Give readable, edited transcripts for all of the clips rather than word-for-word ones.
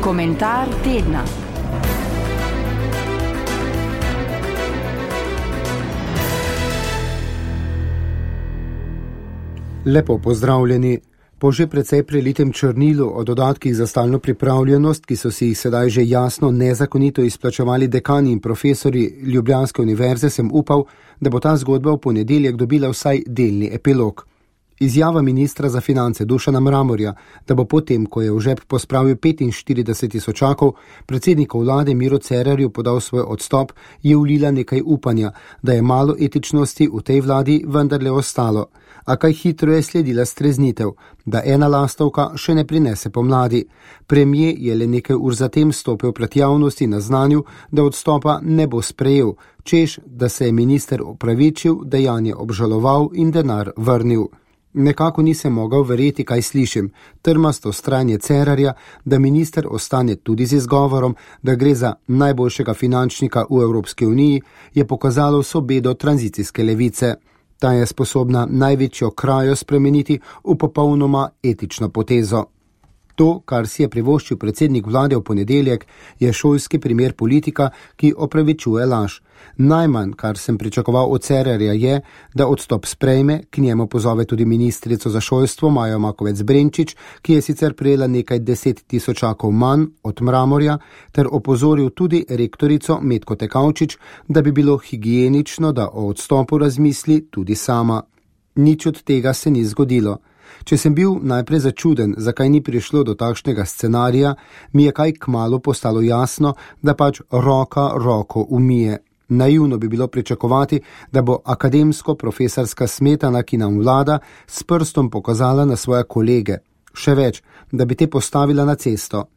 Komentar tedna. Lepo pozdravljeni. Po že precej prelitem črnilu o dodatkih za stalno pripravljenost, ki so si jih sedaj že jasno nezakonito izplačevali dekani in profesori Ljubljanske univerze, sem upal, da bo ta zgodba v ponedeljek dobila vsaj delni epilog. Izjava ministra za finance Dušana Mramorja, da bo potem, ko je v žep pospravil 45 tisočakov, predsedniku vlade Miro Cerarju podal svoj odstop, je vlila nekaj upanja, da je malo etičnosti v tej vladi vendarle ostalo. A kaj hitro je sledila streznitev, da ena lastovka še ne prinese pomladi. Premier je le nekaj ur zatem stopil pred javnosti na znanju, da odstopa ne bo sprejel, češ, da se je minister opravičil, dejanje obžaloval in denar vrnil. Nekako nisem mogel verjeti, kaj slišim. Trmasto vztrajanje Cerarja, da minister ostane tudi z izgovorom, da gre za najboljšega finančnika v Evropski uniji, je pokazalo vso bedo tranzicijske levice. Ta je sposobna največjo krajo spremeniti v popolnoma etično potezo. To, kar si je privoščil predsednik vlade v ponedeljek, je šolski primer politika, ki opravičuje laž. Najmanj, kar sem pričakoval od Cerarja, je, da odstop sprejme, k njemu pozove tudi ministrico za šolstvo Majo Makovec Brenčič, ki je sicer prejela nekaj 10 tisočakov manj od Mramorja, ter opozoril tudi rektorico Metko Tekavčič, da bi bilo higienično, da o odstopu razmisli tudi sama. Nič od tega se ni zgodilo. Če sem bil najprej začuden, zakaj ni prišlo do takšnega scenarija, mi je kaj kmalu postalo jasno, da pač roka roko umije. Naivno bi bilo pričakovati, da bo akademsko-profesorska smetana, ki nam vlada, s prstom pokazala na svoje kolege. Še več, da bi te postavila na cesto.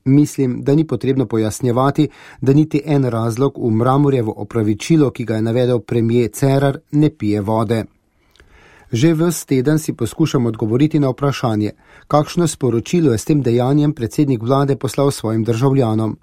Mislim, da ni potrebno pojasnjevati, da niti en razlog v Mramorjevo opravičilo, ki ga je navedel premier Cerar, ne pije vode. Že ves teden si poskušam odgovoriti na vprašanje, kakšno sporočilo je s tem dejanjem predsednik vlade poslal svojim državljanom.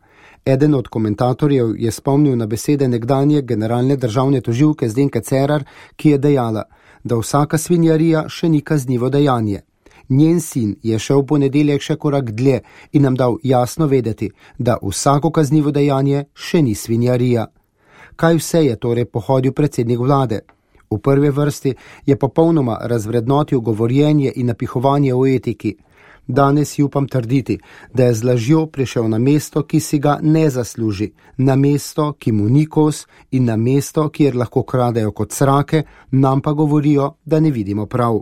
Eden od komentatorjev je spomnil na besede nekdanje generalne državne tožilke Zdenke Cerar, ki je dejala, da vsaka svinjarija še ni kaznivo dejanje. Njen sin je šel v ponedeljek še korak dlje in nam dal jasno vedeti, da vsako kaznivo dejanje še ni svinjarija. Kaj vse je torej pohodil predsednik vlade? V prvi vrsti je popolnoma razvrednotil govorjenje in napihovanje o etiki. Danes si upam trditi, da je z lažjo prišel na mesto, ki si ga ne zasluži, na mesto, ki mu ni kos in na mesto, kjer lahko kradejo kot srake, nam pa govorijo, da ne vidimo prav.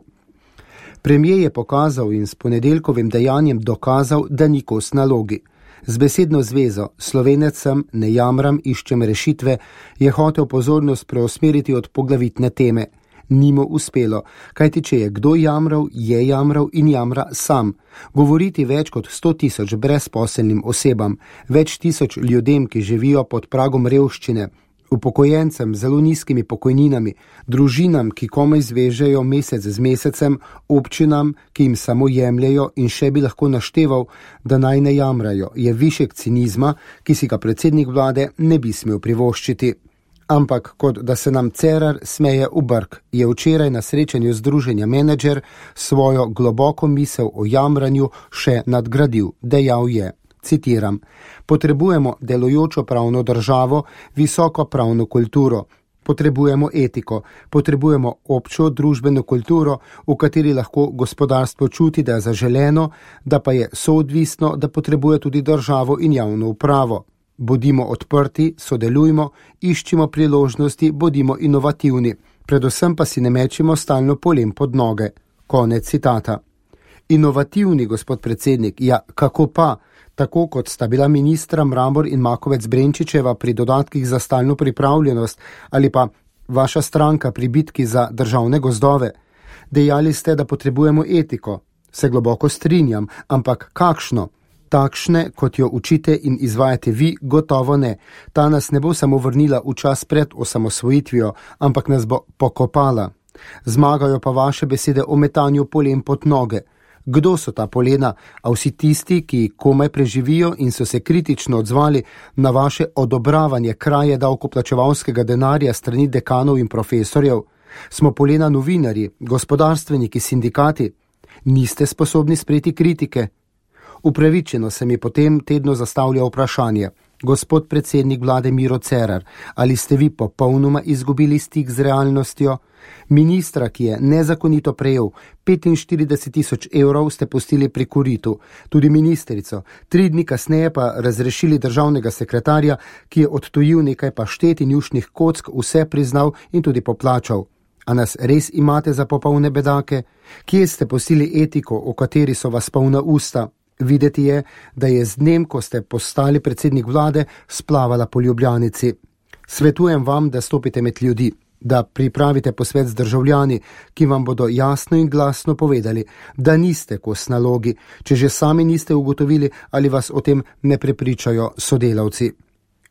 Premier je pokazal in s ponedeljkovim dejanjem dokazal, da ni kos nalogi. Z besedno zvezo Slovenec sem, ne jamram, iščem rešitve, je hotel pozornost preusmeriti od poglavitne teme. Ni mu uspelo, kajti če je kdo jamral, je jamral in jamra sam. Govoriti več kot 100 tisoč brezposelnim osebam, več tisoč ljudem, ki živijo pod pragom revščine, upokojencem z zelo nizkimi pokojninami, družinam, ki komaj zvežejo mesec z mesecem, občinam, ki jim samo jemljajo in še bi lahko našteval, da naj ne jamrajo, je višek cinizma, ki si ga predsednik vlade ne bi smel privoščiti. Ampak, kot da se nam Cerar smeje v brk, je včeraj na srečanju združenja Menedžer svojo globoko misel o jamranju še nadgradil. Dejal je, citiram, potrebujemo delujočo pravno državo, visoko pravno kulturo, potrebujemo etiko, potrebujemo občo družbeno kulturo, v kateri lahko gospodarstvo čuti, da je zaželeno, da pa je soodvisno, da potrebuje tudi državo in javno upravo. Bodimo odprti, sodelujmo, iščimo priložnosti, bodimo inovativni, predvsem pa si ne mečimo stalno polem pod noge. Konec citata. Inovativni, gospod predsednik, ja, kako pa? Tako kot sta bila ministra Mramor in Makovec Brenčičeva pri dodatkih za stalno pripravljenost ali pa vaša stranka pri bitki za državne gozdove. Dejali ste, da potrebujemo etiko. Se globoko strinjam, ampak kakšno? Takšne, kot jo učite in izvajate vi, gotovo ne. Ta nas ne bo samo vrnila v čas pred osamosvojitvijo, ampak nas bo pokopala. Zmagajo pa vaše besede o metanju polem pod noge. Kdo so ta polena, a vsi tisti, ki komaj preživijo in so se kritično odzvali na vaše odobravanje kraje davkoplačevalskega denarja strani dekanov in profesorjev? Smo polena novinarji, gospodarstveniki, sindikati? Niste sposobni sprejeti kritike? Upravičeno se mi potem tedno zastavlja vprašanje: gospod predsednik vlade Miro Cerar, ali ste vi popolnoma izgubili stik z realnostjo? Ministra, ki je nezakonito prejel 45.000 evrov, ste pustili pri koritu, tudi ministrico, 3 dni kasneje pa razrešili državnega sekretarja, ki je odtujil nekaj paštet in jušnih kock, vse priznal in tudi poplačal. A nas res imate za popolne bedake? Kje ste pustili etiko, o kateri so vas polna usta? Videti je, da je z dnem, ko ste postali predsednik vlade, splavala po Ljubljanici. Svetujem vam, da stopite med ljudi, da pripravite posvet z državljani, ki vam bodo jasno in glasno povedali, da niste kos nalogi, če že sami niste ugotovili ali vas o tem ne prepričajo sodelavci.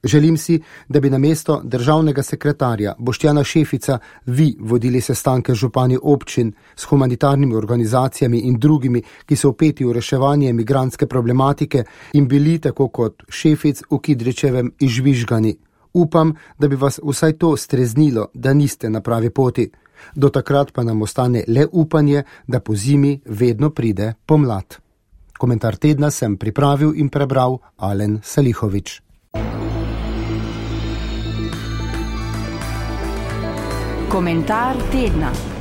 Želim si, da bi namesto državnega sekretarja Boštjana Šefica vi vodili sestanke z župani občin, s humanitarnimi organizacijami in drugimi, ki so vpeti v reševanje migrantske problematike in bili tako kot Šefic v Kidričevem izžvižgani. Upam, da bi vas vsaj to streznilo, da niste na pravi poti. Do takrat pa nam ostane le upanje, da po zimi vedno pride pomlad. Komentar tedna sem pripravil in prebral Alen Salihovič. Komentar tedna.